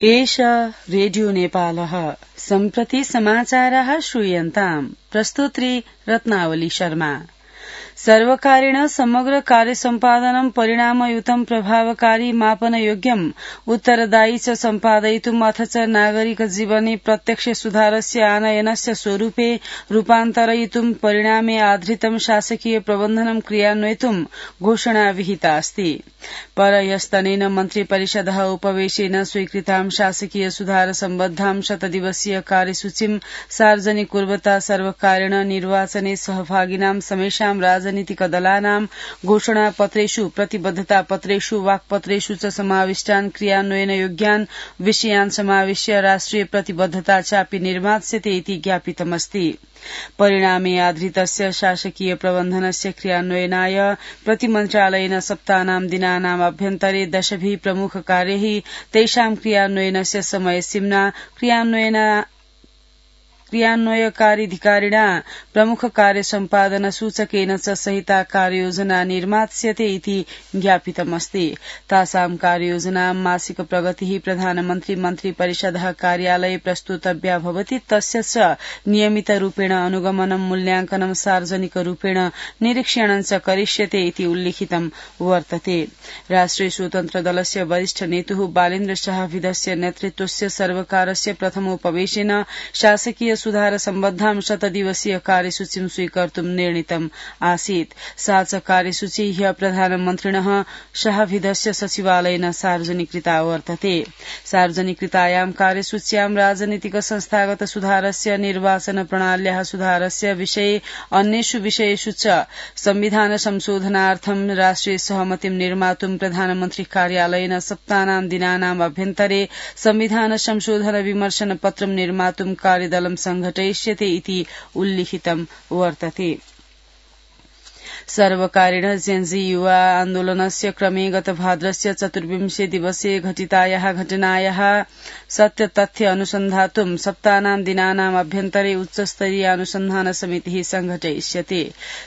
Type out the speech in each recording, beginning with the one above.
एष रेडियो नेपालः सम्प्रति समाचाराः श्रूयन्ताम्। प्रस्तुत्री रत्नावली शर्मा। सर्वकारेण समग्र कार्यसम्पादनं परिणामयुतं प्रभावकारी मापनयोग्यम् उत्तरदायी च सम्पादयितुम् अथ च नागरिक जीवने प्रत्यक्ष सुधारस्य आनयनस्य स्वरूपे रूपान्तरयितुम् परिणामे आधारितं शासकीय प्रबन्धनं क्रियान्वयितुम् घोषणा विहिता अस्ति। परह्यस्तनेन मन्त्रिपरिषदः उपवेशेन स्वीकृतां शासकीय सुधार सम्बद्धां शतदिवसीय कार्यसूचीं सार्वजनिक कुर्वता सर्वकारेण निर्वाचने सहभागिनां समेषां राजनीतिक दलानां घोषणापत्रेषु प्रतिबद्धतापत्रेषु वाक्पत्रेषु च समाविष्टान् क्रियान्वयनयोग्यान् विषयान् समाविश्य राष्ट्रिय प्रतिबद्धता चापि निर्मास्यते इति ज्ञापितमस्ति। परिणामे आधृतस्य शासकीय प्रबन्धनस्य क्रियान्वयनाय प्रतिमन्त्रालयेन सप्ताहनां दिनानाम् अभ्यन्तरे 10 प्रमुख कार्यैः तेषां क्रियान्वयनस्य समयसीम्ना क्रियान्वयकारीधिकारिणा प्रमुख कार्य सम्पादन सूचकेन च सहिता कार्ययोजना निर्मास्यते इति ज्ञापितमस्ति। तासां कार्ययोजनां मासिक प्रगतिः प्रधानमन्त्री मन्त्रिपरिषदः कार्यालये प्रस्तुतव्या भवति। तस्य च नियमितरूपेण अनुगमनं मूल्यांकनं सार्वजनिकरूपेण निरीक्षणं च करिष्यते इति उल्लिखितं वर्तते। राष्ट्रिय स्वतन्त्र दलस्य वरिष्ठ नेतुः बालेन्द्र शाहविदस्य नेतृत्वस्य सर्वकारस्य प्रथमोपवेशेन शासकीय सुधार सम्बद्धां शतदिवसीय कार्यसूचीं स्वीकर्तुं निर्णीतम् आसीत्। सा च कार्यसूची ह्यः प्रधानमन्त्रिणः शाहविदस्य सचिवालयेन सार्वजनिकृता वर्तते। सार्वजनिकृतायां कार्यसूच्यां राजनीतिक संस्थागत सुधारस्य निर्वाचन प्रणाल्याः सुधारस्य विषये अन्येषु विषयेषु च संविधान संशोधनार्थं राष्ट्रिय सहमतिं निर्मातुं प्रधानमन्त्री कार्यालयेन सप्ताहनां दिनानाम् अभ्यन्तरे संविधान संशोधन विमर्शन पत्रं निर्मातुं कार्यदलं संघटयिष्यते इति उल्लिखितं वर्तते। सर्वकारेण जेन्जी युवा आन्दोलनस्य क्रमे गत भाद्रस्य 24 दिवसे घटितायाः घटनायाः सत्यतथ्य अनुसन्धातुं सप्ताहनां दिनानाम् अभ्यन्तरे उच्चस्तरीय अनुसन्धान समितिः संघटयिष्यते।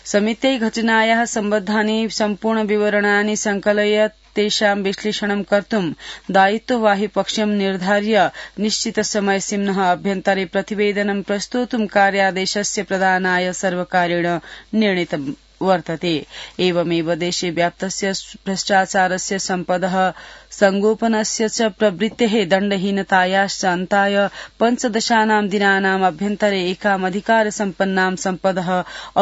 समित्यै घटनायाः सम्बद्धानि सम्पूर्ण विवरणानि संकलय्य तेषां विश्लेषणं कर्तुं दायित्ववाही पक्षं निर्धार्य निश्चित समयसीम्नः अभ्यन्तरे प्रतिवेदनं प्रस्तोतुं कार्यादेशस्य प्रदानाय सर्वकारेण निर्णीतं वर्तते। एवमेव देशे व्याप्तस्य भ्रष्टाचारस्य सम्पदः संगोपनस्य च प्रवृत्तेः दण्डहीनतायाश्च अन्ताय 15 दिनानाम् अभ्यन्तरे एकामधिकार सम्पन्नां सम्पदः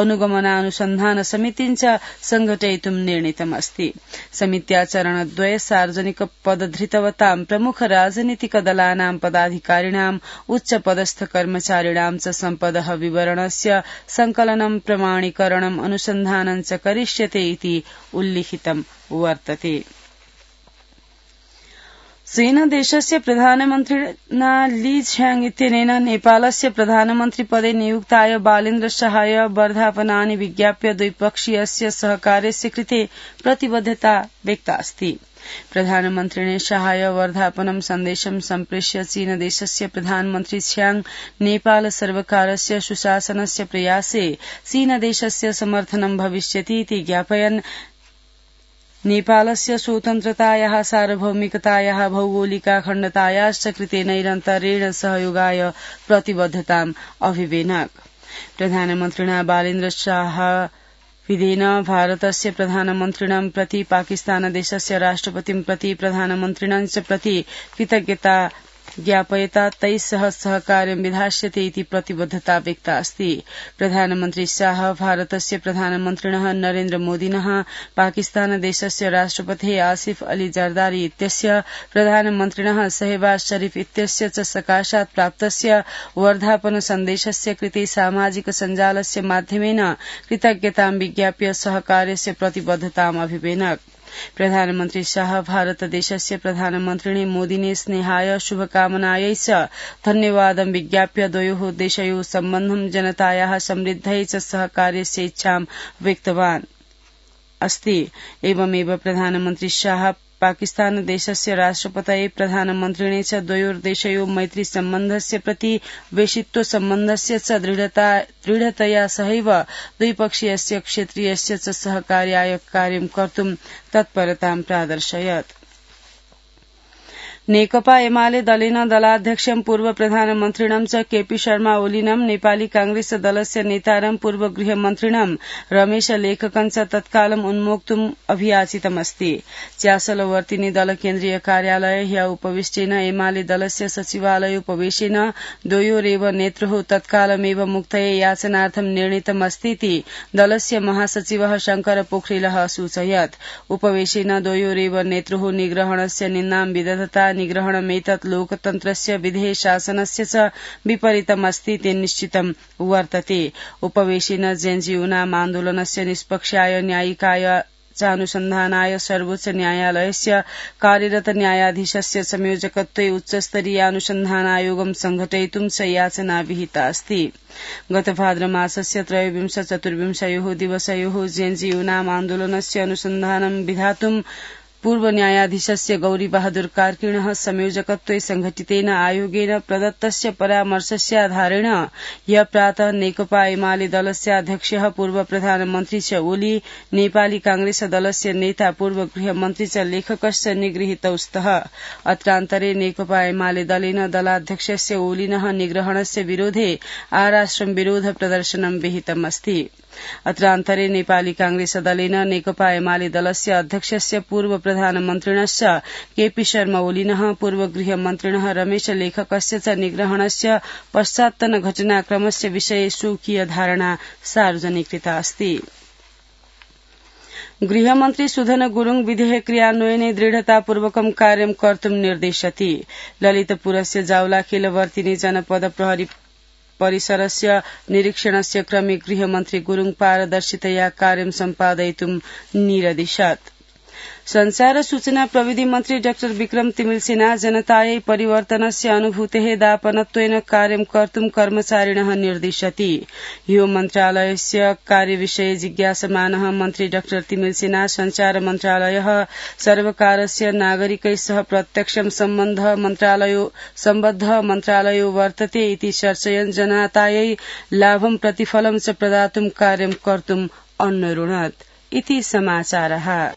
अनुगमनानुसन्धान समितिं च संघटयितुं निर्णीतमस्ति। समित्या चरणद्वये सार्वजनिक पदधृतवतां प्रमुख राजनीतिक दलानां पदाधिकारिणाम् उच्चपदस्थ कर्मचारिणां च सम्पदः विवरणस्य संकलनं प्रमाणीकरणम् अनुसन्धानं च करिष्यते इति उल्लिखितं वर्तते। चीनदेशस्य प्रधानमन्त्रिणा ली झ्याङ इत्यनेन नेपालस्य प्रधानमन्त्रिपदे नियुक्ताय बालेन्द्र शाहाय वर्धापनानि विज्ञाप्य द्विपक्षीयस्य सहकार्यस्य कृते प्रतिबद्धता व्यक्ता अस्ति। प्रधानमन्त्रिणे शाहाय वर्धापनं सन्देशं सम्प्रेष्य चीनदेशस्य प्रधानमन्त्री झ्याङ नेपाल सर्वकारस्य सुशासनस्य प्रयासे चीनदेशस्य समर्थनं भविष्यति इति ज्ञापयन् नेपालस्य स्वतन्त्रतायाः सार्वभौमिकतायाः भौगोलिकाखण्डतायाश्च कृते निरन्तरेण सहयोगाय प्रतिबद्धताम् अभिवेनक। प्रधानमन्त्रिणा बालेन्द्र शाहविदेन भारतस्य प्रधानमन्त्रिणं प्रति पाकिस्तानदेशस्य राष्ट्रपतिं प्रति प्रधानमन्त्रिणं च प्रति कृतज्ञता ज्ञापयता तैः सह सहकार्यं विधास्यते इति प्रतिबद्धता व्यक्ता अस्ति। प्रधानमन्त्री शाह भारतस्य प्रधानमन्त्रिणः नरेन्द्र मोदिनः पाकिस्तानदेशस्य राष्ट्रपतिः आसिफ अली जरदारी इत्यस्य प्रधानमन्त्रिणः शहबाज शरीफ इत्यस्य च सकाशात् प्राप्तस्य वर्धापन सन्देशस्य कृते सामाजिक सञ्जालस्य माध्यमेन कृतज्ञतां विज्ञाप्य सहकार्यस्य प्रतिबद्धताम् अभिवेनक। प्रधानमन्त्री शाह भारतदेशस्य प्रधानमन्त्रिणे मोदिने स्नेहाय शुभकामनायै च धन्यवादं विज्ञाप्य द्वयोः देशयोः सम्बन्धं जनतायाः समृद्धयै च सहकार्यस्य इच्छां व्यक्तवान् अस्ति। एवमेव प्रधानमन्त्री शाह पाकिस्तानदेशस्य राष्ट्रपतये प्रधानमन्त्रिणे च द्वयोर्देशयोः मैत्री सम्बन्धस्य प्रति वेशित्व सम्बन्धस्य च दृढतया सहैव द्विपक्षीयस्य क्षेत्रीयस्य च सहकार्याय कार्यं कर्तुं तत्परतां प्रादर्शयत्। नेकपा एमाले दलेन दलाध्यक्षं पूर्व प्रधानमन्त्रिणं च केपी शर्मा ओलीनं नेपाली कांग्रेस दलस्य नेतारं पूर्व गृहमन्त्रिणं रमेश लेखकं च तत्कालम् उन्मोक्तुम् अभियाचितमस्ति। च्यासलवर्तिनी दल केन्द्रीय कार्यालय ह्य उपविष्टेन एमाले दलस्य सचिवालय उपवेशेन द्वयोरेव नेत्रोः तत्कालमेव मुक्तये याचनार्थं निर्णीतमस्तीति दलस्य महासचिवः शंकर पोखरेलः असूचयत्। उपवेशेन द्वयोरेव नेत्रोः निग्रहणस्य निन्दां विदधता निग्रहणमेतत् लोकतन्त्रस्य विधेय शासनस्य च विपरीतमस्तीति निश्चितं वर्तते। उपवेशेन जेएनयू आन्दोलनस्य निष्पक्षाय न्यायिकाय चानुसन्धानाय सर्वोच्च न्यायालयस्य कार्यरत न्यायाधीशस्य संयोजकत्वे उच्चस्तरीय अनुसन्धानायोगं संघटयितुं च याचना विहिता अस्ति। गत भाद्रमासस्य 23-24 दिवसयोः जेएनयू आन्दोलनस्य अनुसन्धानं विधातुं पूर्व न्यायाधीशस्य गौरी बहादुर कार्किणः संयोजकत्वे संघटितेन आयोगेन प्रदत्तस्य परामर्शस्याधारेण ह्य प्रातः नेकपा एमाले दलस्य अध्यक्षः पूर्व प्रधानमन्त्री च ओली नेपाली कांग्रेस दलस्य नेता पूर्व गृहमन्त्री च लेखकश्च निगृहीतौ स्तः। अत्रान्तरे नेकपा एमाले दलेन दलाध्यक्षस्य ओलिनः निग्रहणस्य विरोधे आराश्रम विरोध प्रदर्शनं विहितमस्ति। अत्रान्तरे नेपाली कांग्रेस दलेन नेकपा एमाले दलस्य अध्यक्षस्य पूर्व प्रधानमन्त्रिणश्च केपी शर्मा ओलीनः पूर्व गृहमन्त्रिणः रमेश लेखकस्य च निग्रहणस्य पश्चात्तन घटनाक्रमस्य विषये स्वकीय धारणा सार्वजनिकृता अस्ति। गृहमन्त्री सुधन गुरूङ विधेयक क्रियान्वयने दृढतापूर्वकं कार्यं कर्तुं निर्देशति। ललितपुरस्य जावलाखेलवर्तिनी जनपद प्रहरी परिसरस्य निरीक्षणस्य क्रमे गृहमन्त्री गुरूङ पारदर्शितया कार्यं सम्पादयितुं निरदिशत्। संचार सूचना प्रविधि मन्त्री डाक्टर विक्रम तिमिलसिना जनतायै परिवर्तनस्य अनुभूतेः दापनत्वेन कार्यं कर्तुं कर्मचारिणः निर्दिशति। ह्यो मन्त्रालयस्य कार्यविषये जिज्ञासमानः मन्त्री डाक्टर तिमिलसिना संचार मन्त्रालयः सर्वकारस्य नागरिकै सह प्रत्यक्षं सम्बद्ध मन्त्रालयो वर्तते इति चर्चयन् जनतायै लाभं प्रतिफलं च प्रदातुं कार्यं कर्तुं अनुरुणत्। इति समाचारः।